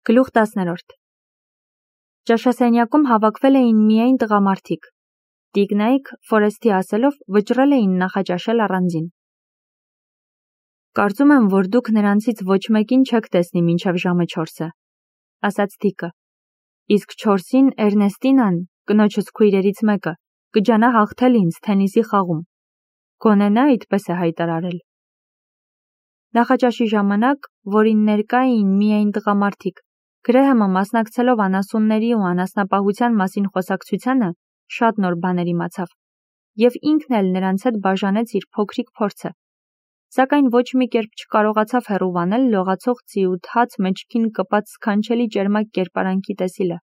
Գլուխ 10. Ճաշասենյակում հավաքվել էին միայն տղամարդիկ։ Տիկնայք, Ֆորեսթի ասելով, վճռել էին նախաճաշել առանձին։ Կարծում եմ, որ դուք նրանցից ոչ մեկին չեք տեսնի մինչև ժամը 4-ը, ասաց Դիկը։ Իսկ 4-ին Էրնեստինան, կնոջս քույրերից մեկը, կջանա հաղթել ինձ թենիսի խաղում։ Գոնե նա այդպես է հայտարարել։ Նախաճաշի ժամանակ, որին ներկա էին միայն տղամարդիկ, Գրեհեմը մասնակցելով անասունների ու անասնապահության մասին խոսակցությանը, շատ նոր բաներ իմացավ, և ինքն էլ նրանց հետ բաժանեց իր փոքրիկ փորձը, սակայն ոչ մի կերպ չկարողացավ հեռուվանել լողացող ձիու թաց մեջքին կպած սքանչելի ճերմակ կերպարանքի տեսիլը։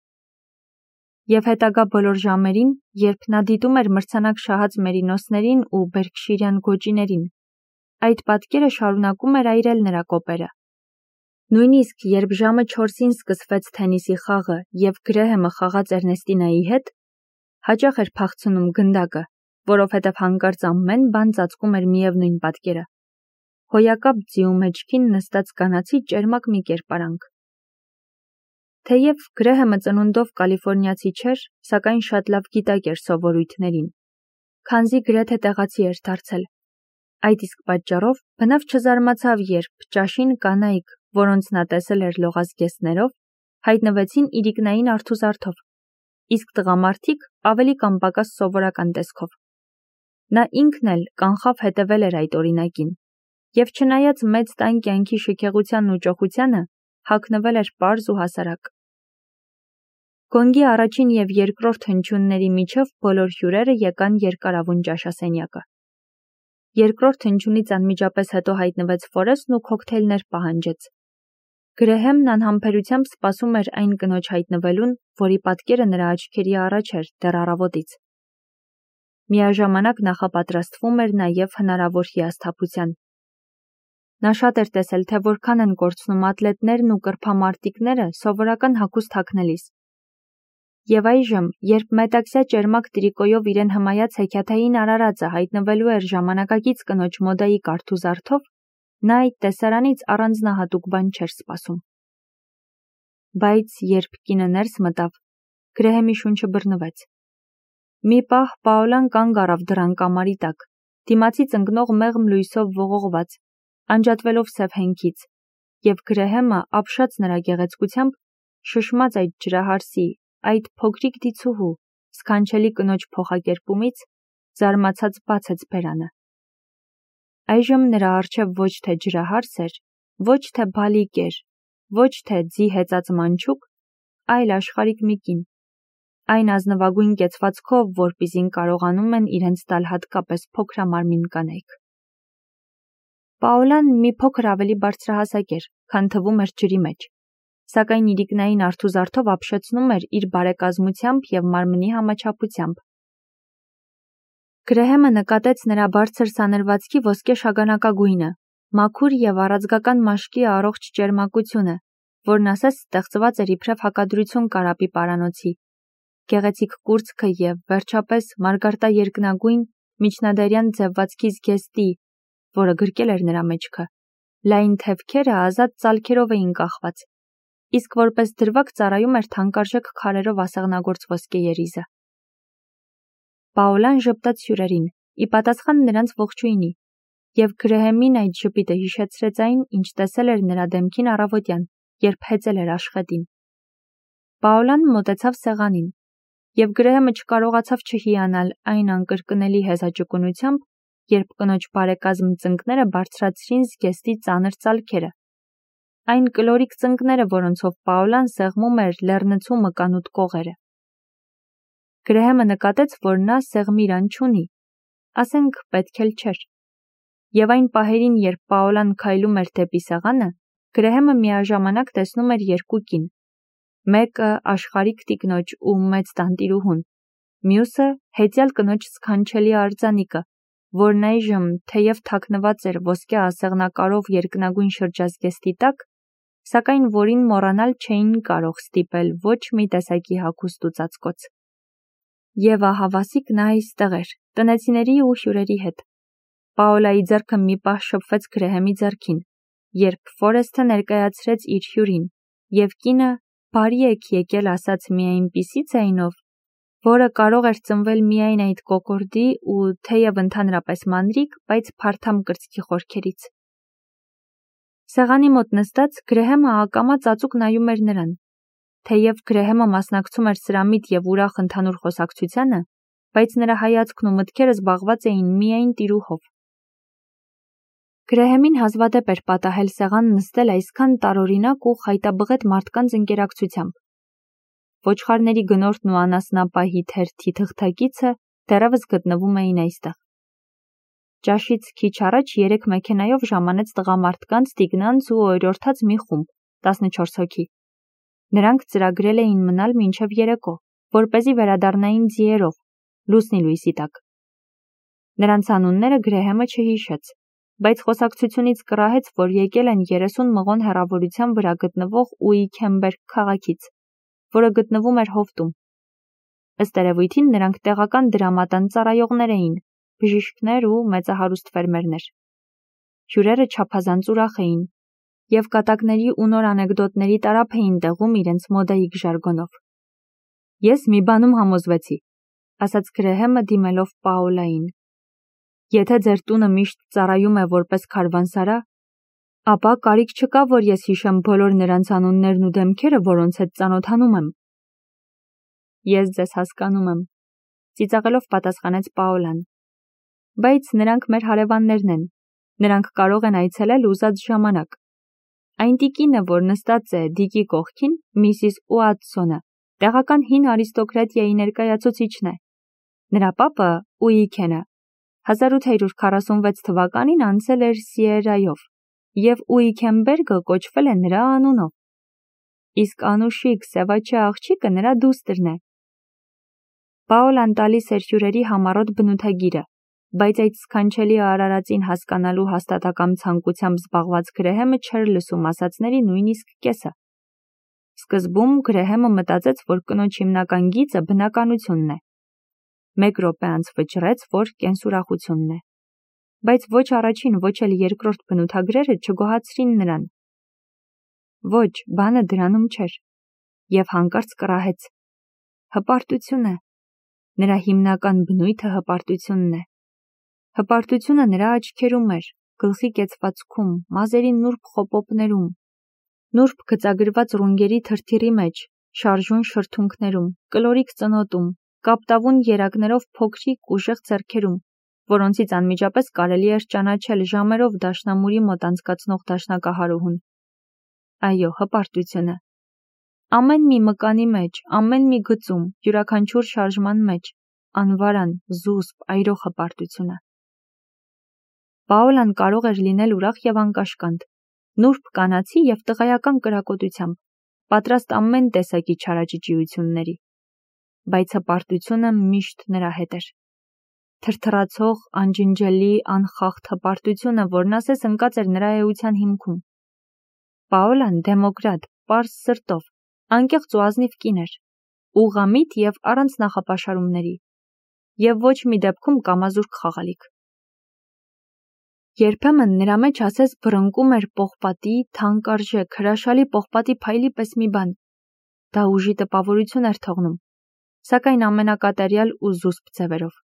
Եվ հետագա բոլոր ժամերին, երբ նա դիտում էր մրցանակ շահած մերինոսներին ու բերքշիրյան գոճիներին, այդ պատկերը շարունակում էր այրել նրա կոպերը։ Նույնիսկ երբ ժամը 4-ին սկսվեց թենիսի խաղը և Գրեհեմը խաղաց Էրնեստինայի հետ, հաճախ էր փախցնում գնդակը, որովհետև հանկարծ ամեն բան ծածկում էր միևնույն պատկերը։ Հոյակապ ձիու մեջքին նստած կանացի ճերմակ մի կերպարանք։ Թեև Գրեհեմը ծնունդով կալիֆորնիացի չէր, սակայն շատ լավ գիտակ էր սովորույթներին, քանզի գրեթե տեղացի էր դարձել։ Այդ իսկ պատճառով բնավ չզարմացավ, երբ ճաշին կանայք, որոնց նա տեսել էր լողազգեստներով, հայտնվեցին իրիկնային արթուզարդով, իսկ տղամարդիկ ավելի կամ պակաս սովորական տեսքով։ Նա ինքն էլ կանխավ հետևել էր այդ օրինակին, և չնայած մեծ տան կյանքի շքեղությանն ու ճոխությանը, հագնվել էր պարզ ու հասարակ։ Գոնգի առաջին և երկրորդ հնչյունների միջև բոլոր հյուրերը եկան երկարավուն ճաշասենյակը։ Երկրորդ հնչյունից անմիջապես հետո հայտնվեց Ֆորեսթն ու քոքթեյլներ պահանջեց։ Գրեհեմն անհամբերությամբ սպասում էր այն կնոջ հայտնվելուն, որի պատկերը նրա աչքերի առաջ էր դեռ առավոտից։ Միաժամանակ նախապատրաստվում էր նաև հնարավոր հիասթափության։ Նա շատ էր տեսել, թե որքան են կորցնում ատլետներն ու կրփամարտիկները սովորական հագուստ հագնելիս։ Եվ այժմ, երբ մետաքսյա ճերմակ տրիկոյով իրեն հմայած հեքիաթային արարածը հայտնվելու էր ժամանակակից կնոջ մոդայի կարթուզարդով, նա այդ տեսարանից առանձնահատուկ բան չէր սպասում։ Բայց երբ կինը ներս մտավ, Գրեհեմի շունչը բռնվեց։ Մի պահ Պաոլան կանգ առավ դռան կամարի տակ, դիմացից ընկնող մեղմ լույսով ողողված, անջատվելով սև հենքից, և Գրեհեմը, ապշած նրա գեղեցկությամբ, շշմած այդ ջրահարսի, այդ փոքրիկ դիցուհու, սքանչելի կնոջ փոխակերպումից, զարմացած բացեց բերանը։ Այժմ նրա առջև ոչ թե ջրահարս էր, ոչ թե բալիկ էր, ոչ թե ձի հեծած մանչուկ, այլ աշխարհիկ մի կին, այն ազնվագույն կեցվածքով, որպիսին կարողանում են իրենց տալ հատկապես փոքրամարմին կանայք։ Պաոլան մի փոքր ավելի բարձրահասակ էր, քան թվում էր ջրի մեջ, սակայն իրիկնային արթուզարդով ապշեցնում էր իր բարեկազմությամբ և մարմնի համաչափությամբ։ Գրեհեմը նկատեց նրա բարձր սանրվածքի ոսկե շագանակագույնը, մաքուր և առաձգական մաշկի առողջ ճերմակությունը, որն ասես ստեղծված էր իբրև հակադրություն կարապի պարանոցի, գեղեցիկ կուրծքը և, վերջապես, մարգարտաերկնագույն, միջնադարյան ձևվածքի զգեստի, որը գրկել էր նրա մեջքը, լայն թևքերը ազատ ծալքերով էին կախված, իսկ որպես դրվագ ծառայում էր թանկարժեք քարերով ասեղնագործ ոսկե երիզը։ Պաոլան ժպտաց հյուրերին, ի պատասխան նրանց ողջույնի, և Գրեհեմին այդ ժպիտը հիշեցրեց այն, ինչ տեսել էր նրա դեմքին առավոտյան, երբ հեծել էր աշխատին։ Պաոլան մոտեցավ սեղանին, և Գրեհեմը չկարողացավ չհիանալ այն անկրկնելի հեզաճկունությամբ, երբ կնոջ բարեկազմ ծնկները բարձրացրին զգեստի ծանր ծալքերը, այն կլորիկ ծնկները, որոնցով Պաոլան սեղմում էր լեռնցու մկանուտ կողերը։ Գրեհեմը նկատեց, որ նա սեղմիրան չունի, ասենք պետք էլ չէր։ Եվ այն պահերին, երբ Պաոլան քայլում էր դեպի սեղանը, Գրեհեմը միաժամանակ տեսնում էր երկու կին, մեկը աշխարհիկ տիկնոջ ու մեծ տանտիրուհուն, մյուսը հեծյալ կնոջ սքանչելի արձանիկը, որն այժմ, թեև թաքնված էր ոսկե ասեղնակարով երկնագույն շրջազգեստի տակ, սակայն որին մոռանալ չէին կարող ստիպել ոչ մի տեսակի հագուստ ու ծածկոց։ Եվ ահավասիկ նա այստեղ էր, տնեցիների ու հյուրերի հետ։ Պաոլայի ձեռքը մի պահ շփվեց Գրեհեմի ձեռքին, երբ Ֆորեսթը ներկայացրեց իր հյուրին, և կինը բարի եք եկել ասաց մի այնպիսի ձայնով, որը կարող էր ծնվել միայն այդ կոկորդի ու թեև ընդհանրապես մանրիկ, բայց փարթամ կրծքի խորքերից։ Սեղանի մոտ նստած Գրեհեմը ակամա ծածուկ նայում էր նրան։ Թեև Գրեհեմը մասնակցում էր սրամիտ և ուրախ ընդհանուր խոսակցությանը, բայց նրա հայացքն ու մտքերը զբաղված էին միայն տիրուհով։ Գրեհեմին հազվադեպ էր պատահել սեղան նստել այսքան տարօրինակ ու խայտաբղետ մարդկանց ընկերակցությամբ։ Ոչխարների գնորդն ու անասնապահի թերթի թղթակիցը դեռևս գտնվում էին այստեղ։ Ճաշից քիչ առաջ 3 մեքենայով ժամանեց տղամարդկանց, տիկնանց ու օրիորդաց մի խումբ, 14 հոգի։ Նրանք ծրագրել էին մնալ մինչև երեկո, որպեսզի վերադառնային ձիերով, լուսնի լույսի տակ։ Նրանց անունները Գրեհեմը չհիշեց, բայց խոսակցությունից կռահեց, որ եկել են 30 մղոն հեռավորության վրա գտնվող Ուիքենբերգ քաղաքից, որը գտնվում էր հովտում։ Ըստ երևույթին նրանք տեղական դրամատան ծառայողներ էին, բժիշկներ ու մեծահարուստ ֆերմերներ։ Հյուրերը չափազանց ուրախ էին և կատակների ու նոր անեկդոտների տարափ էին տեղում իրենց մոդայիկ ժարգոնով։ Ես մի բանում համոզվեցի, ասաց Գրեհեմը դիմելով Պաոլային։ Եթե ձեր տունը միշտ ծառայում է որպես քարվանսարա, ապա կարիք չկա, որ ես հիշեմ բոլոր նրանց անուններն ու դեմքերը, որոնց հետ ծանոթանում եմ։ Ես ձեզ հասկանում եմ, ծիծաղելով պատասխանեց Պաոլան։ Բայց նրանք մեր հարևաններն են, նրանք կարող են այցելել ուզած ժամանակ։ Այն տիկինը, որ նստած է Դիկի կողքին, Միսիս Ուատսոնը, տեղական հին արիստոկրատիայի ներկայացուցիչն է։ Նրա պապը Ուիքենը 1846 թվականին անցել էր Սիերայով, և Ուիքենբերգը կոչվել է նրա անունով։ Իսկ անուշիկ սևաչե աղջիկը նրա դուստրն է։ Պաոլան տալիս էր հյուրերի համառոտ բնութագիրը, բայց այդ սքանչելի արարածին հասկանալու հաստատակամ ցանկությամբ զբաղված Գրեհեմը չէր լսում ասածների նույնիսկ կեսը։ Սկզբում Գրեհեմը մտածեց, որ կնոջ հիմնական գիծը բնականությունն է։ 1 րոպե անց վճռեց, որ կենսուրախությունն է։ Բայց ոչ առաջին, ոչ էլ երկրորդ բնութագրերը չգոհացրին նրան։ Ոչ, բանը դրանում չէր։ Եվ հանկարծ կռահեց. հպարտությունը։ Նրա հիմնական բնույթը հպարտությունն է։ Հպարտությունը նրա աչքերում էր, գլխի կեցվածքում, մազերի նուրբ խոպոպներում, նուրբ գծագրված ռունգերի թրթիռի մեջ, շարժուն շրթունքներում, կլորիկ ծնոտում, կապտավուն երակներով փոքրիկ ուժեղ ձեռքերում, որոնցից անմիջապես կարելի էր ճանաչել ժամերով դաշնամուրի մոտ անցկացնող դաշնակահարուհուն։ Այո, հպարտությունը։ Ամեն մի մկանի մեջ, ամեն մի գծում, յուրաքանչյուր շարժման մեջ, անվարան, զուսպ, այրող հպարտությունը։ Պաոլան կարող էր լինել ուրախ և անկաշկանդ, նուրբ կանացի և տղայական կրակոտությամբ, պատրաստ ամեն տեսակի չարաճճիությունների, բայց հպարտությունը միշտ նրա հետ էր։ Թրթռացող, անջնջելի, անխախտ հպարտությունը, որն ասես ընկած էր նրա էության հիմքում։ Պաոլան դեմոկրատ, պարզ սրտով, անկեղծ ու ազնիվ կին էր, ուղղամիտ և առանց նախապաշարումների, և ոչ մի դեպքում կամազուրկ խաղալիք։ Երբեմն նրա մեջ ասես բռնկում էր պողպատի, թանկարժեք, հրաշալի պողպատի փայլի պես մի բան։ Դա ուժի տպավորություն էր թողնում, սակայն ամենակատարյալ ու զուսպ ձևերով։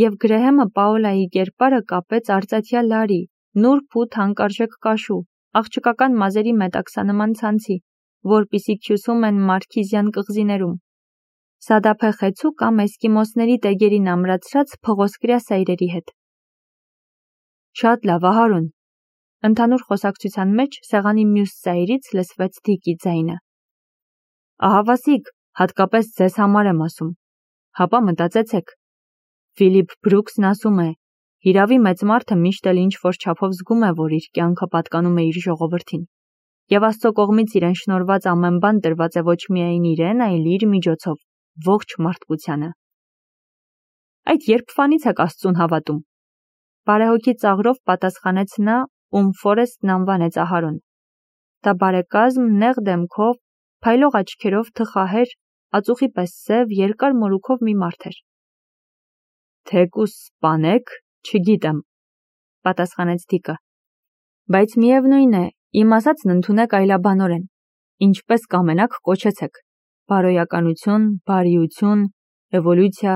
Եվ Գրեհեմը Պաոլայի կերպարը կապեց արծաթյա լարի, նուրբ ու թանկարժեք կաշու, աղջկական մազերի մետաքսանման ցանցի, որպիսի քյուսում են մարքիզյան կղզիներում, սադափե խեցու կամ էսկիմոսների տեգերին ամրացրած փղոսկրյա սայրերի հետ։ Շատ լավ, Ահարոն։ Ընդհանուր խոսակցության մեջ սեղանի մյուս ծայրից լսվեց Դիկի ձայնը։ Ահավասիկ, հատկապես ձեզ համար եմ ասում։ Հապա մտածեցեք։ Ֆիլիպ Բրուքսն ասում է. հիրավի մեծ մարդը միշտ էլ ինչ-որ չափով զգում է, որ իր կյանքը պատկանում է իր ժողովրդին, և Աստծո կողմից իրեն շնորհված ամեն բան տրված է ոչ միայն իրեն, այլ իր միջոցով, ողջ մարդկությանը։ Այդ երբվանից եք Աստծուն հավատում։ Բարեհոգի ծաղրով պատասխանեց նա, ում Ֆորեստն անվանեց Ահարոն։ Դա բարեկազմ, նեղ դեմքով, փայլող աչքերով, թխահեր, ածուխի պես սև, երկար մորուքով մի մարդ էր։ Թեկուս սպանեք, չգիտեմ, պատասխանեց Դիկը։ Բայց միևնույն է, իմ ասածն ընդունեք այլաբանորեն։ Ինչպես կամենաք կոչեցեք, բարոյականություն, բարիություն, էվոլյուցիա։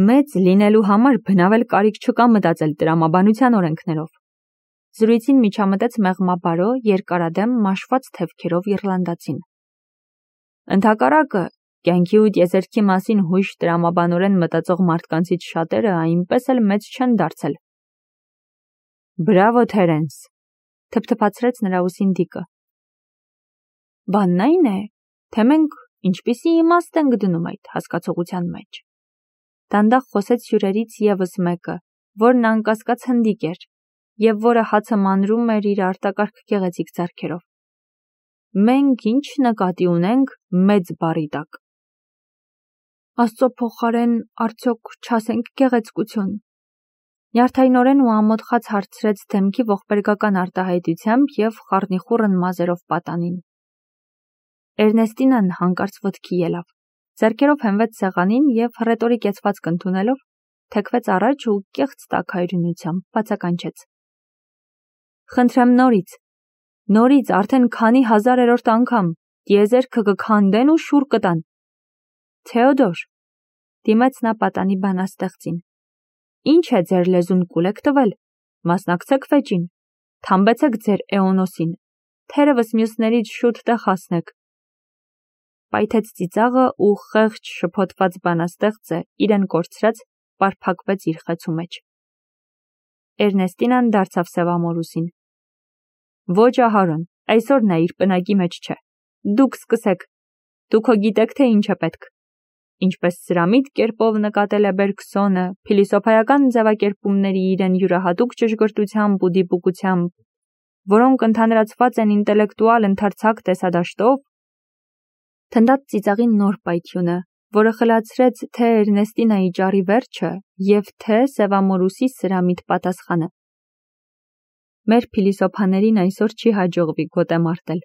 Մեծ լինելու համար բնավել կարիք չկա մտածել տրամաբանության օրենքներով։ Զրույցին միջամտեց մեղմաբարո, երկարադեմ, մաշված թևքերով իռլանդացին։ Ընդհակառակը, կյանքի ու տիեզերքի մասին հույժ տրամաբանորեն մտածող մարդկանցից շատերը այնպես էլ մեծ չեն դարձել։ Բրավո, Թերենս, թփթփացրեց նրա ուսին Դիկը։ Բանն այն է, թե մենք ինչպիսի իմաստ ենք դնում այդ հասկացողության մեջ։ Դանդաղ խոսեց հյուրերից ևս մեկը, որն անկասկած հնդիկ էր, և որը հացը մանրում էր իր արտակարգ գեղեցիկ ձեռքերով։ Մենք ինչ նկատի ունենք մեծ բառի տակ։ Աստծո փոխարեն արդյոք չասենք գեղեցկություն։ Նյարդայնորեն ու ամոթխած հարցրեց դեմքի ողբերգական արտահայտությամբ և խառնիխուռն մազերով պատանին։ Էրնեստինան հանկարծ ոտքի ելավ, ձեռքերով հենվեց սեղանին և հռետորի կեցվածք ընդունելով, թեքվեց առաջ ու կեղծ տաքայրությունությամբ բացականչեց. Խնդրեմ նորից արդեն քանի հազարերորդ անգամ տիեզերքը կքանդեն ու շուռ կտան։ Թեոդոր, դիմեց նա պատանի բանաստեղծին, ինչ է ձեր լեզուն կուլ եք տվել, մասնակցեք վեճին, թամբեցեք ձեր էոնոսին, թերևս մյուսներից շուտ տեղ հասնեք։ Պայթեց ծիծաղը ու խեղճ շփոթված բանաստեղծը իրեն կորցրած պարփակվեց իր խեցու մեջ։ Էրնեստինան դարձավ սևամորուսին։ Ոչ Ահարոն, այսօր նա իր պնակի մեջ չէ։ Դուք սկսեք, դուք հո գիտեք, թե ինչ է պետք։ Ինչպես սրամիտ կերպով նկատել է Բերգսոնը, փիլիսոփայական ձևակերպումների իրեն յուրահատուկ ճշգրտությամբ ու դիպուկությամբ, որոնք ընդհանրացված են ինտելեկտուալ ընդարձակ տեսադաշտով, թնդաց ծիծաղի նոր պայթյունը, որը խլացրեց թե Էրնեստինայի ճառի վերջը և թե սևամորուսի սրամիտ պատասխանը։ Մեր փիլիսոփաներին այսօր չի հաջողվի գոտե մարտել,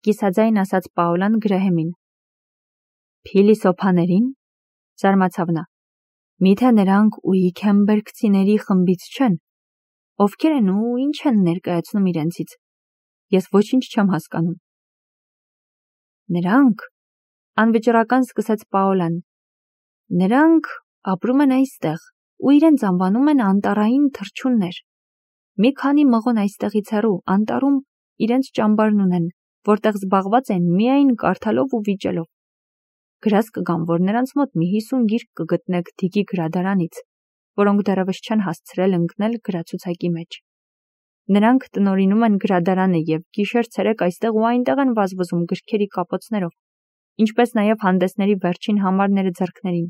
կիսաձայն ասաց Պաոլան Գրեհեմին։ Փիլիսոփաներին, զարմացավ նա, միթե նրանք ուիքենբերգցիների խմբից չեն, ովքեր են ու ինչ են ներկայացնում իրենցից, ես ոչինչ չեմ հասկանում։ Նրանք, անվճռական սկսեց Պաոլան, նրանք ապրում են այստեղ ու իրենց անվանում են անտառային թռչուններ։ Մի քանի մղոն այստեղից հեռու, անտառում իրենց ճամբարն ունեն, որտեղ զբաղված են միայն կարդալով ու վիճելով։ Գրած կգամ, որ նրանց մոտ մի 50 գիրք կգտնեք Դիկի գրադարանից, որոնք դեռևս չեն հասցրել ընկնել գրացուցակի մեջ։ Նրանք տնօրինում են գրադարանը և գիշեր-ցերեկ այստեղ ու այնտեղ են վազվզում գրքերի կապոցներով, ինչպես նաև հանդեսների վերջին համարները ձեռքներին։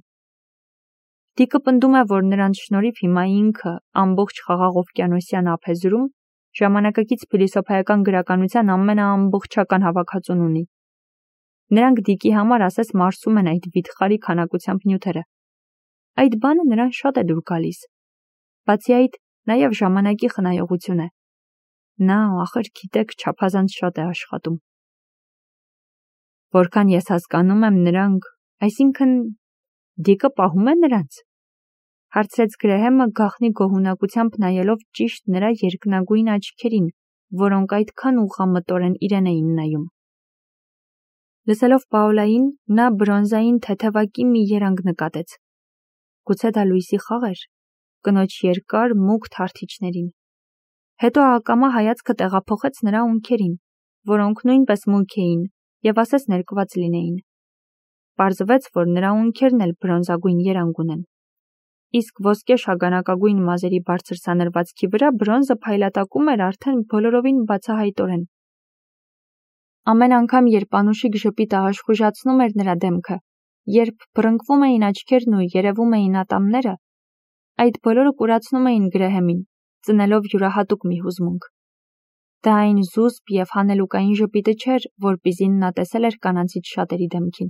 Դիկը պնդում է, որ նրանց շնորհիվ հիմա ինքը ամբողջ խաղաղ օվկիանոսյան ափեզրում ժամանակակից փիլիսոփայական գրականության ամենաամբողջական հավաքածուն ունի։ Նրանք Դիկի համար ասես մարսում են այդ վիթխարի քանակությամբ նյութերը։ Այդ բանը նրան շատ է դուր գալիս։ Բացի այդ, նաև ժամանակի խնայողություն է։ Նա, ախր գիտեք, չափազանց շատ է աշխատում։ Որքան ես հասկանում եմ, նրանք, այսինքն Դիկը պահում է նրանց, հարցրեց Գրեհեմը գաղտնի գոհունակությամբ նայելով ճիշտ նրա երկնագույն աչքերին, որոնք այդքան ուղղամտորեն իրեն էին նայում։ Լսելով Պաոլային, նա բրոնզային թեթևակի մի երանգ նկատեց։ Գուցե դա լույսի խաղ էր, կնոջ երկար մուգ թարթիչներին։ Հետո ակամա հայացքը տեղափոխեց նրա ունքերին, որոնք նույնպես մուգ էին և ասես ներկված լինեին։ Պարզվեց, որ նրա ունքերն էլ բրոնզագույն երանգ ունեն։ Իսկ ոսկե շագանակագույն մազերի բարձր սանրվածքի վրա բրոնզը փայլատակում էր արդեն բոլորովին բացահայտորեն։ Ամեն անգամ, երբ անուշիկ ժպիտը աշխուժացնում էր նրա դեմքը, երբ բռնկվում էին աչքերն ու երևում էին ատամները, այդ բոլորը կուրացնում էին Գրեհեմին, ծնելով յուրահատուկ մի հուզմունք։ Դա այն զուսպ և հանելուկային ժպիտը չէր, որպիսին նա տեսել էր կանանցից շատերի դեմքին։